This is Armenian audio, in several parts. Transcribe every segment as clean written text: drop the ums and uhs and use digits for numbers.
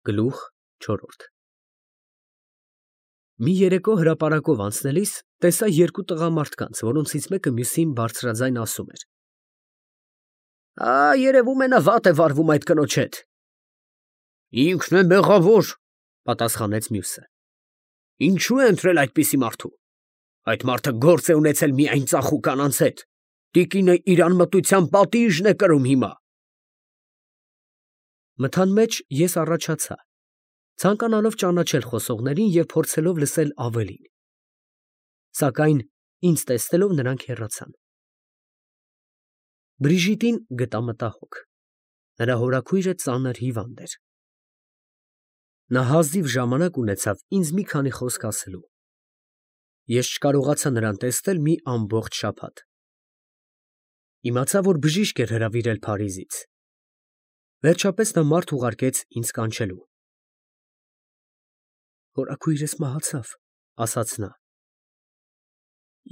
Գլուխ չորրորդ Մի երեկո հրապարակով անցնելիս տեսա երկու տղամարդկանց, որոնցից մեկը մյուսին բարձրաձայն ասում էր. երևում է նա վատ է վարվում այդ կնոջ հետ։ Ինքն է մեղավոր, պատասխանեց մյուսը։ Ինչու է ընտրել այդպիսի մարդու։ Այդ մարդը գործ է ունեցել միայն ծախու կանանց հետ։ Տիկինը իր անմտության պատիժն է կրում հիմա։ Մթան մեջ ես առաջացա, ցանկանալով ճանաչել խոսողներին և փորձելով լսել ավելին։ Սակայն ինձ տեսնելով նրանք հեռացան։ Բրիժիտին գտա մտահոգ։ Նրա հորաքույրը ծանր հիվանդ էր։ Նա հազիվ ժամանակ ունեցավ ինձ մի քանի խոսք ասելու։ Ես չկարողացա նրան տեսնել մի ամբողջ շաբաթ։ Իմացա, որ բժիշկ էր հրավիրել Փարիզից։ Վերջապես նա մարդ ուղարկեց ինձ կանչելու։ Հորաքույրս մահացավ, ասաց նա։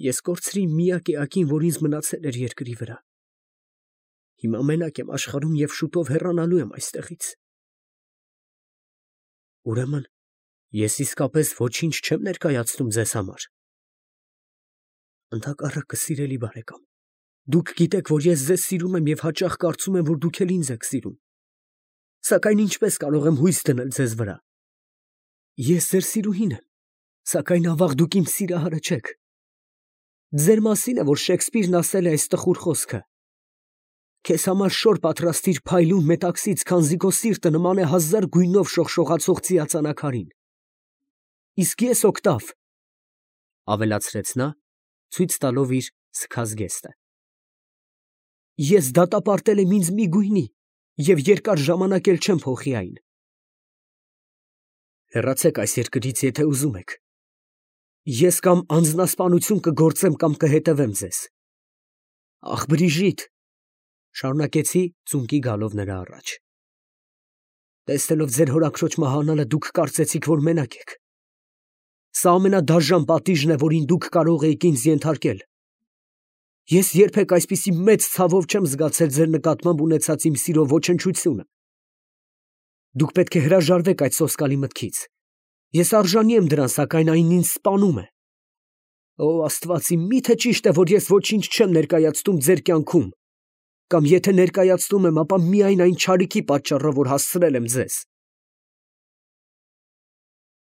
Ես կորցրի միակ էակին, որ ինձ մնացել էր երկրի վրա։ Հիմա մենակ եմ աշխարհում և շուտով հեռանալու եմ այստեղից։ Ուրեմն ես իսկապես ոչինչ չեմ ներկայացնում ձեզ համար։ Ընդհակառակը, սիրելի բարեկամ, դուք գիտեք, որ ես ձեզ սիրում եմ և հաճախ կարծում եմ, որ դուք էլ ինձ եք սիրում։ Սակայն ինչպես կարող եմ հույս դնել ձեզ վրա։ Ես ձեր սիրուհին եմ, սակայն ավաղ դուք իմ սիրահարը չեք։ Ձեր մասին է, որ Շեքսպիրն ասել է այս տխուր խոսքը. Քեզ համար շոր պատրաստիր փայլուն մետաքսից, քանզի քո սիրտը նման է հազար գույնով շողշողացող ծիածանակարին։ Իսկ ես օկտավ, ավելացրեց նա, ցույց տալով իր սքազ գեստը։ Ես դատապարտել եմ ինձ մի գույնի և երկար ժամանակ էլ չեմ փոխի այն։ Հեռացեք այս երկրից, եթե ուզում եք։ Ես կամ անձնասպանություն կգործեմ, կամ կհետևեմ ձեզ։ Ախ, Բրիժիտ, շարունակեցի ծունկի գալով նրա առաջ։ Տեսնելով ձեր հորաքրոջ մահանալը, դուք կարծեցիք, որ մենակ եք։ Սա ամենադաժան պատիժն է, որին դուք կարող էիք ինձ ենթարկել։ Ես երբեք այսպիսի մեծ ցավով չեմ զգացել ձեր նկատմամբ ունեցած իմ սիրո ոչնչությունը։ Դուք պետք է հրաժարվեք այդ սոսկալի մտքից։ Ես արժանի եմ դրան, սակայն այն ինձ սպանում է։ Օ, Աստված իմ, միթե ճիշտ է, որ ես ոչինչ չեմ ներկայացնում ձեր կյանքում, կամ եթե ներկայացնում եմ, ապա միայն այն չարիքի պատճառով, որ հասցրել եմ ձեզ։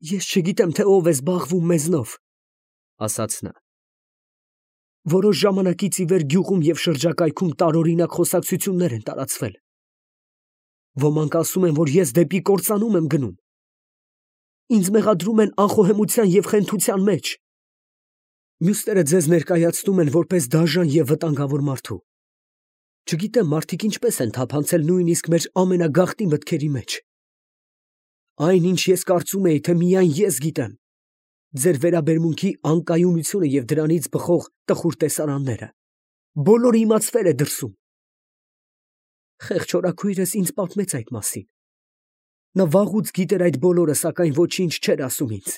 Ես չգիտեմ, թե ով է զբաղվում մեզնով, ասաց նա։ Որոշ ժամանակից ի վեր գյուղում և շրջակայքում տարօրինակ խոսակցություններ են տարածվել։ Ոմանք ասում են, որ ես դեպի կործանում եմ գնում։ Ինձ մեղադրում են անխոհեմության և խենթության մեջ։ Մյուսները ձեզ ներկայացնում են որպես դաժան և վտանգավոր մարդու։ Չգիտեմ, մարդիկ ինչպես են թափանցել նույնիսկ մեր ամենագաղտնի մտքերի մեջ։ Այն, ինչ ես կարծում էի, թե միայն ես գիտեմ, ձեր վերաբերմունքի անկայունությունը և դրանից բխող տխուր տեսարանները, բոլորը իմացվել է դրսում։ Խեղճ հորաքույրս ինձ պատմեց այդ մասին։ Նա վաղուց գիտեր այդ բոլորը, սակայն ոչինչ չէր ասում ինձ։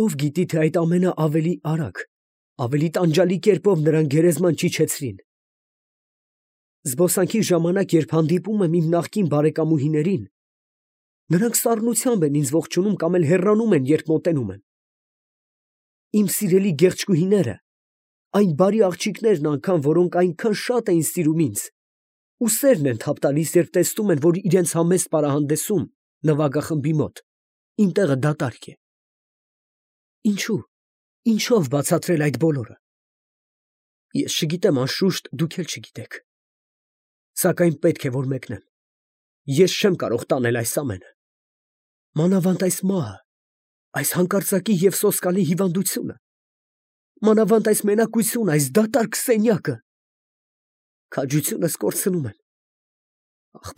Ով գիտի, թե այդ ամենը ավելի արագ, ավելի տանջալի կերպով նրան գերեզման չիջեցրին։ Զբոսանքի ժամանակ, երբ հանդիպում եմ իմ նախկին բարեկամուհիներին, նրանք սառնությամբ են ինձ ողջունում կամ էլ հեռանում են, երբ մոտենում եմ։ Իմ սիրելի գեղեցկուհիները, այն բարի աղջիկներն անգամ, որոնք այնքան շատ էին սիրում ինձ, ուսերն են թափ տալիս, երբ տեսնում են, որ իրենց համեստ պարահանդեսում նվագախմբի մոտ իմ տեղը դատարկ է։ Ինչու՞, ինչով բացատրել այդ բոլորը։ Ես չգիտեմ, անշուշտ դուք էլ չգիտեք։ Սակայն պետք է որ մեկնեմ։ Ես չեմ կարող տանել այս ամենը։ Մանավանդ այս մահը, այս հանկարծակի և սոսկալի հիվանդությունը, մանավանդ այս մենակությունը, այս դատարկ սենյակը։ Քաջությունս կորցնում եմ։ Ախ,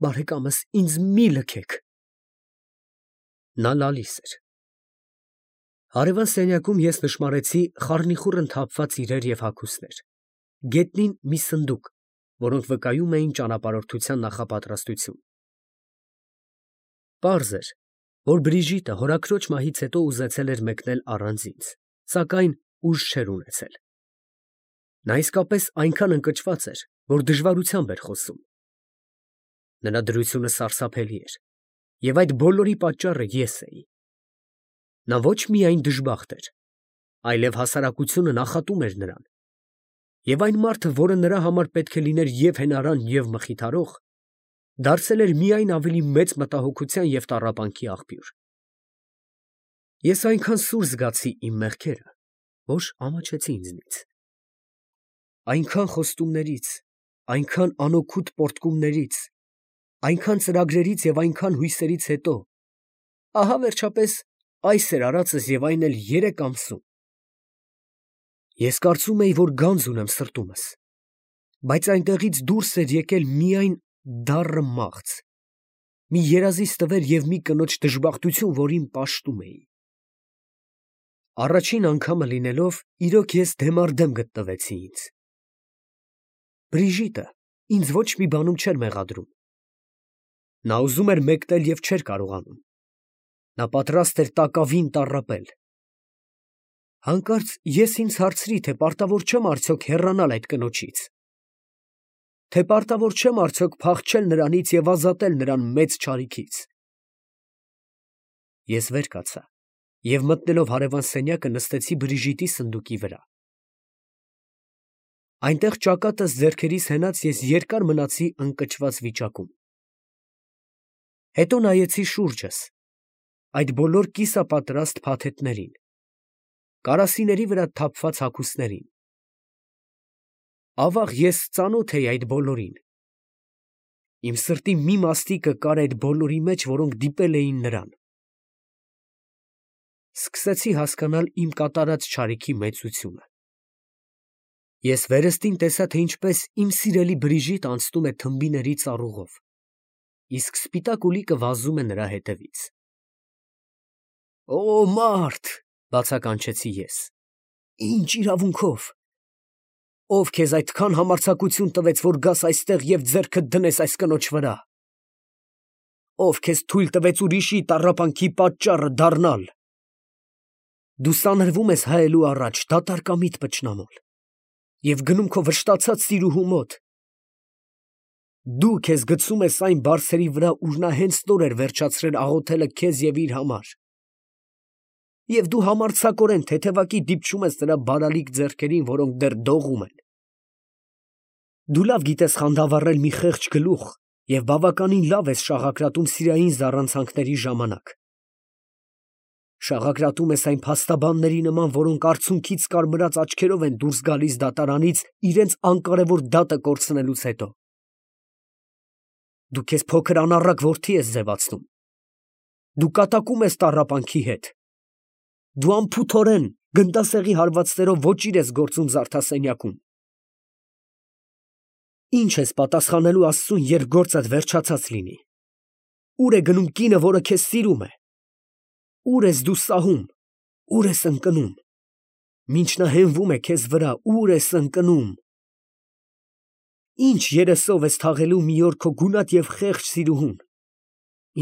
բարեկամս, ինձ մի լքեք։ Նա լալիս էր։ Հարևան սենյակում ես նշմարեցի խառնիխուռն թափված իրեր և հագուստներ, գետնին մի սնդուկ, որոնք վկայում էին ճանապարհորդության նախապատրաստություն։ Պարզ էր, որ Բրիժիտը հորաքրոջ մահից հետո ուզեցել էր մեկնել առանց ինձ, սակայն ուժ չէր ունեցել։ Նա իսկապես այնքան ընկճված էր, որ դժվարությամբ էր խոսում։ Նրա դրությունը սարսափելի էր, և այդ բոլորի պատճառը ես էի։ Նա ոչ միայն դժբախտ էր, այլև հասարակությունը նախատում էր նրան, և այն մարդը, որը նրա համար պետք է լիներ և հենարան, և մխիթարող, դարձել էր միայն ավելի մեծ մտահոգության և տառապանքի աղբյուր։ Ես այնքան սուր զգացի իմ մեղքերը, որ ամաչեցի ինձնից։ Այնքան խոստումներից, այնքան անօգուտ պոռթկումներից, այնքան ծրագրերից և այնքան հույսերից հետո, ահա վերջապես այս էր արածս և այն էլ 3 ամսում։ Ես կարծում էի, որ գանձ ունեմ սրտումս, բայց այնտեղից դուրս էր եկել միայն դառը մաղձ, մի երազի ստվեր և մի կնոջ դժբախտություն, որին պաշտում էի։ Առաջին անգամը լինելով, իրոք ես դեմառդեմ գտնվեցի ինձ։ Բրիժիտը ինձ ոչ մի բանում չէր մեղադրում։ Նա ուզում էր մեկնել և չէր կարողանում։ Նա պատրաստ էր տակավին տառապել։ Հանկարծ ես ինձ հարցրի, թե պարտավոր չեմ արդյոք հեռանալ այդ կնոջից, թե պարտավոր չեմ արդյոք փախչել նրանից և ազատել նրան մեծ չարիքից։ Ես վեր կացա և մտնելով հարևան սենյակը նստեցի Բրիժիտի սնդուկի վրա։ Այնտեղ ճակատս ձեռքերիս հենած ես երկար մնացի ընկճված վիճակում։ Հետո նայեցի շուրջս, այդ բոլոր կիսապատրաստ փաթեթներին, կարասիների վրա թափված հագուստներին։ Ավաղ ես ծանոթ էի այդ բոլորին։ Իմ սրտի մի մաստիկը կար այդ բոլորի մեջ, որոնք դիպել էին նրան։ Սկսեցի հասկանալ իմ կատարած չարիքի մեծությունը։ Ես վերստին տեսա, թե ինչպես իմ սիրելի Բրիժիտը անցնում է թմբիների ծառուղով, իսկ սպիտակ ուլիկը վազում է նրա հետևից։ «Օ մարդ, ֊ բացականչեցի ես, ֊ ինչ իրավունքով, ով քեզ այդքան համարձակություն տվեց, որ գաս այստեղ և ձեռքդ դնես այս կնոջ վրա, ով քեզ թույլ տվեց ուրիշի տառապանքի պատճառը դառնալ։ Դու սանրվում ես հայելու առաջ դատարկամիտ պճնամոլ և գնում քո վշտացած տիրուհու մոտ։ Դու քեզ գցում ես այն բարձերի վրա, ուր նա հենց նոր էր վերջացրել աղոթելը քեզ և իր համար, և դու համարձակորեն թեթևակի դիպչում ես նրա բարալիկ ձեռքերին, որոնք դեռ դողում են։ Դու լավ գիտես խանդավառել մի խեղճ գլուխ և բավականին լավ ես շաղակրատում սիրային զառանցանքների ժամանակ։ Շաղակրատում ես այն փաստաբանների նման, որոնք արցունքից կարմրած աչքերով են դուրս գալիս դատարանից իրենց անկարևոր դատը կորցնելուց հետո։ Դու քեզ փոքր անառակ որդի ես ձևացնում։ Դու կատակում ես տառապանքի հետ։ Դու անփութորեն գնդասեղի հարվածներով ոճիր ես գործում զարդասենյակում։ Ի՞նչ ես պատասխանելու Աստծուն, երբ գործդ վերջացած լինի։ Ո՞ւր է գնում կինը, որը քեզ սիրում է։ Ո՞ւր ես դու սահում, ո՞ւր ես ընկնում։ Մինչ նա հենվում է քեզ վրա, ո՞ւր ես ընկնում։ Ի՞նչ երեսով ես թաղելու մի օր քո գունատ և խեղճ սիրուհուն,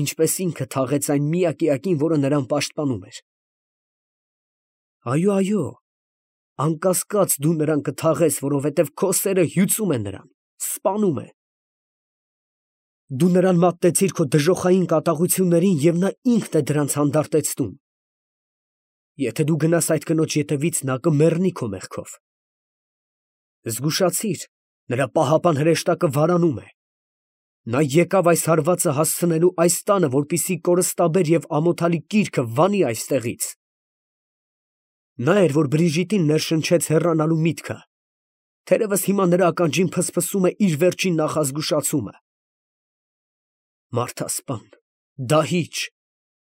ինչպես ինքը թաղեց այն միակ էակին, որը նրան պաշտպանում էր։ Այո, այո, անկասկած դու նրան կթաղես, որովհետև քո սերը հյուծում է նրան, սպանում է։ Դու նրան մատնեցիր քո դժոխային կատաղություններին, և նա ինքն է դրանց հանդարտեցնում։ Եթե դու գնաս այդ կնոջ ետևից, նա կմեռնի քո մեղքով։ Զգուշացիր, նրա պահապան հրեշտակը վարանում է։ Նա եկավ այս հարվածը հասցնելու այս տանը, որպեսզի կորստաբեր և ամոթալի կիրքը վանի այստեղից։ Նա էր, որ Բրիժիտին ներշնչեց հեռանալու միտքը, թերևս հիմա նրա ականջին ֆսֆսում է իր վերջին նախազգուշացումը։ Մարդասպան, դահիճ,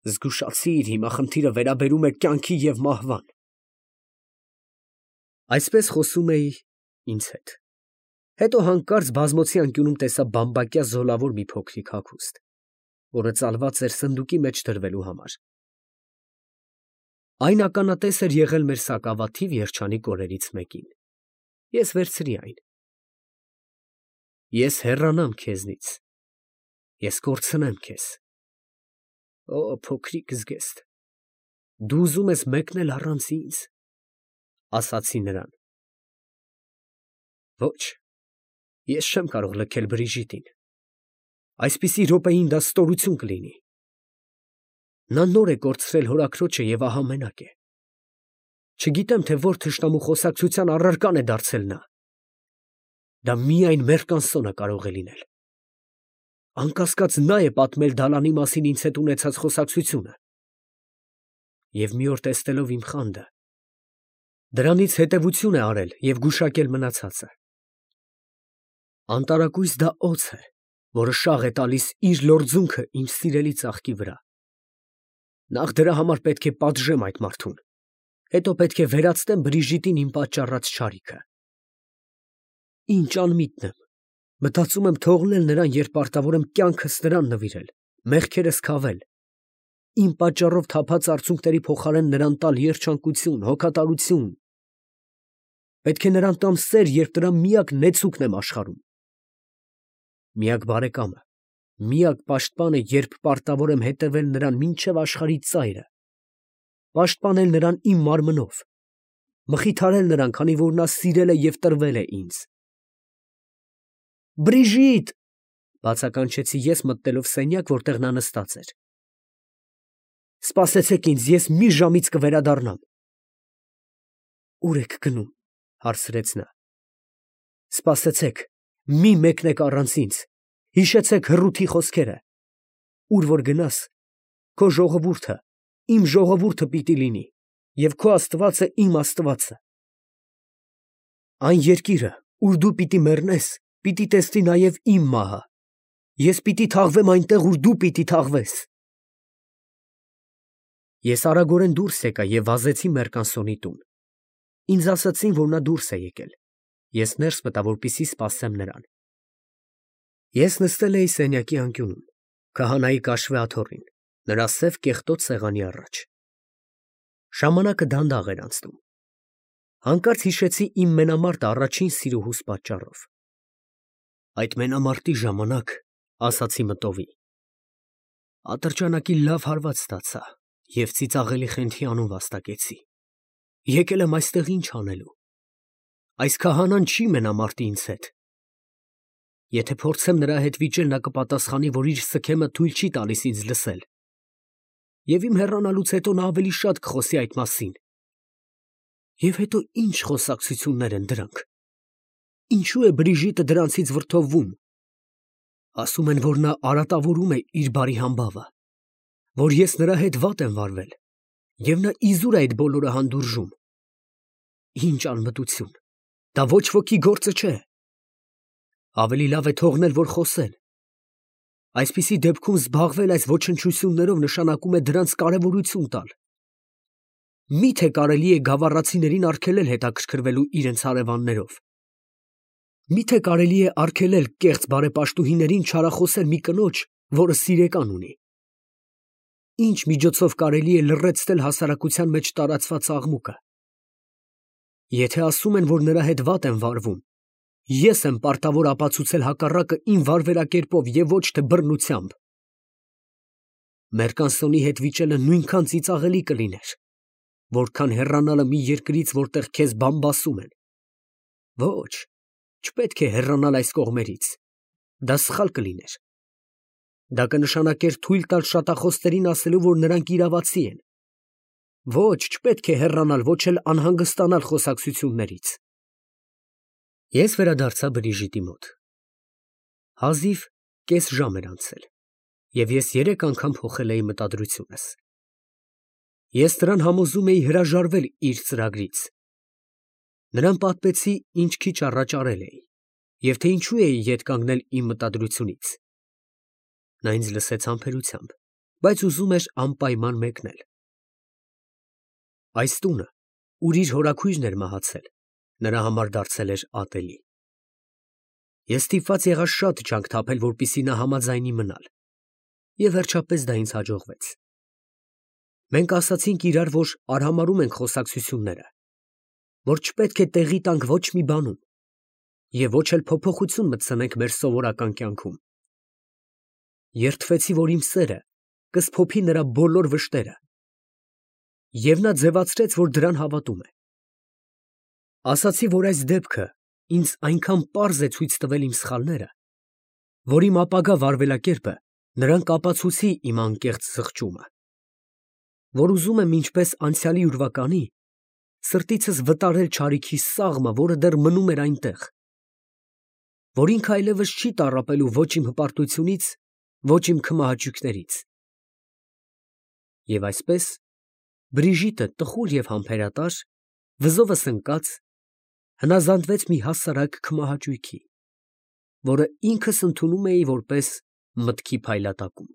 զգուշացիր, հիմա խնդիրը վերաբերում է կյանքի և մահվան։ Այսպես խոսում էի ինձ հետ։ Հետո հանկարծ բազմոցի անկյունում տեսա բամբակյա զոլավոր մի փոքրիկ հագուստ, որը ծալված էր սնդուկի մեջ դրվելու համար։ Այն ականատես էր եղել մեր սակավաթիվ երջանիկ օրերից մեկին։ Ես վերցրի այն։ Ես հեռանամ քեզնից, ես կորցնեմ քեզ։ Օ, փոքրիկ զգեստ, դու ուզում ես մեկնել առանց ինձ, ասացի նրան։ Ոչ, ես չեմ կարող լքել Բրիժիտին, Այսպիսի րոպեին դա ստորություն կլինի։ Նա նոր է կորցրել հորաքրոջը և ահա մենակ է։ Չգիտեմ, թե որ թշնամու խոսակցության առարկան է դարձել նա։ Դա միայն Մերկանսոնը կարող է լինել։ Անկասկած նա է պատմել Դալանի մասին ինձ հետ ունեցած խոսակցությունը։ Եվ մի օր տեսնելով իմ խանդը, դրանից հետևություն է արել և գուշակել մնացածը։ Անտարակույս դա օձ է, որը շաղ է տալիս իր լորձունքը իմ սիրելի ծաղկի վրա։ Նախ դրա համար պետք է պատժեմ այդ մարդուն, հետո պետք է վերացնեմ Բրիժիտին իմ պատճառած չարիքը։ Ինչ անմիտն եմ, մտածում եմ թողնել նրան, երբ պարտավոր եմ կյանքս նրան նվիրել, մեղքերս քավել, իմ պատճառով թափած արցունքների փոխարեն նրան տալ երջանկություն, հոգատարություն։ Պետք է նրան տամ սեր, երբ դրա միակ նեցուկն եմ աշխարհում։ Միակ բարեկամը, միակ պաշտպանը, երբ պարտավոր եմ հետևել նրան մինչև աշխարհի ծայրը, պաշտպանել նրան իմ մարմնով, մխիթարել նրան, քանի որ նա սիրել է և տրվել է ինձ։ Բրիժիտ, բացականչեցի ես, մտնելով սենյակ, որտեղ նա նստած էր։ Սպասեցեք ինձ, ես մի ժամից կվերադառնամ։ Ուր եք գնում, հարցրեց նա։ Սպասեցեք, մի մեկնեք առանց ինձ, հիշեցեք հռութի խոսքերը։ Ուր որ գնաս, քո ժողովուրդը, իմ ժողովուրդը պիտի լինի, և քո Աստվածը իմ Աստվածը։ Այն երկիրը, ուր դու պիտի մեռնես, պիտի տեսնի նաև իմ մահը։ Ես պիտի թաղվեմ այնտեղ, ուր դու պիտի թաղվես։ Ես արագորեն դուրս եկա և վազեցի Մերկանսոնի տուն։ Ինձ ասացին, որ նա դուրս է եկել։ Ես ներս մտա, որպեսզի սպասեմ նրան։ Ես նստել էի սենյակի անկյունում, քահանայի կաշվե աթոռին, նրա սև կեղտոտ սեղանի առաջ։ Ժամանակը դանդաղ էր անցնում։ Հանկարծ հիշեցի իմ մենամարտը առաջին սիրուհուս պատճառով։ Այդ մենամարտի ժամանակ, ասացի մտովի, ատրճանակի լավ հարված ստացա և ծիծաղելի խենթի անուն վաստակեցի։ Եկել եմ այստեղ ինչ անելու։ Այս քահանան չի մենամարտի ինձ հետ։ Եթե փորձեմ նրա հետ վիճել, նա կպատասխանի, որ իր սքեմը թույլ չի տալիս ինձ լսել։ Եվ իմ հեռանալուց հետո նա ավելի շատ կխոսի այդ մասին։ Եվ հետո ինչ խոսակցություններ են դրանք։ Ինչու է Բրիժիտը դրանցից վրդովվում։ Ասում են, որ նա արատավորում է իր բարի համբավը, որ ես նրա հետ վատ եմ վարվել, և նա իզուր է այդ բոլորը հանդուրժում։ Ինչ անմտություն, դա ոչ ոքի գործը չէ։ Ավելի լավ է թողնել, որ խոսեն։ Այսպիսի դեպքում զբաղվել այս ոչնչություններով նշանակում է դրանց կարևորություն տալ։ Մի՞թե կարելի է գավառացիներին արգելել հետաքրքրվելու իրենց հարևաններով։ Մի՞թե կարելի է արգելել կեղծ բարեպաշտուհիներին չարախոսել մի կնոջ, որը սիրեկան ունի։ Ինչ միջոցով կարելի է լռեցնել հասարակության մեջ տարածված աղմուկը։ Եթե ասում են, որ նրա հետ վատ են վարվում, ես եմ պարտավոր ապացուցել հակառակը իմ վարվելակերպով և ոչ թե բռնությամբ։ Մերկանսոնի հետ վիճելը նույնքան ծիծաղելի կլիներ, որքան հեռանալը մի երկրից, որտեղ քեզ բամբասում են։ Ոչ, չպետք է հեռանալ այս կողմերից, դա սխալ կլիներ։ Դա կնշանակեր թույլ տալ շատախոսներին ասելու, որ նրանք իրավացի են։ Ոչ, չպետք է հեռանալ, ոչ էլ անհանգստանալ խոսակցություններից։ Ես վերադարձա Բրիժիտի մոտ։ Հազիվ կես ժամ էր անցել, և ես 3 անգամ փոխել էի մտադրությունս։ Ես նրան համոզում էի հրաժարվել իր ծրագրից։ Նրան պատմեցի, ինչ քիչ առաջ արել էի, և թե ինչու էի ետ կանգնել իմ մտադրությունից։ Նա ինձ լսեց համբերությամբ, բայց ուզում էր անպայման մեկնել։ Այս տունը, ուր իր հորաքույրն էր մահացել, նրա համար դարձել էր ատելի։ Ես ստիպված եղա շատ ջանք թափել, որպեսզի նա համաձայնի մնալ, և վերջապես դա ինձ հաջողվեց։ Մենք ասացինք իրար, որ արհամարհում ենք խոսակցությունները, որ չպետք է տեղի տանք ոչ մի բանում, և ոչ էլ փոփոխություն մտցնենք մեր սովորական կյանքում։ Երդվեցի, որ իմ սերը կսփոփի նրա բոլոր վշտերը, և նա ձևացրեց, որ դրան հավատում է։ Ասացի, որ այս դեպքը ինձ այնքան պարզ է ցույց տվել իմ սխալները, որ իմ ապագա վարվելակերպը նրան կապացուցի իմ անկեղծ զղջումը, որ ուզում եմ ինչպես անցյալի ուրվականի սրտիցս վտարել չարիքի սաղմը, որը դեռ մնում էր այնտեղ, որ ինքը այլևս չի տառապելու ոչ իմ հպարտությունից, ոչ իմ քմահաճույքներից։ Եվ այսպես Բրիժիտը տխուր և համբերատար, վզովս ընկած, հնազանդվեց մի հասարակ քմահաճույքի, որը ինքս ընդունում էի որպես մտքի փայլատակում։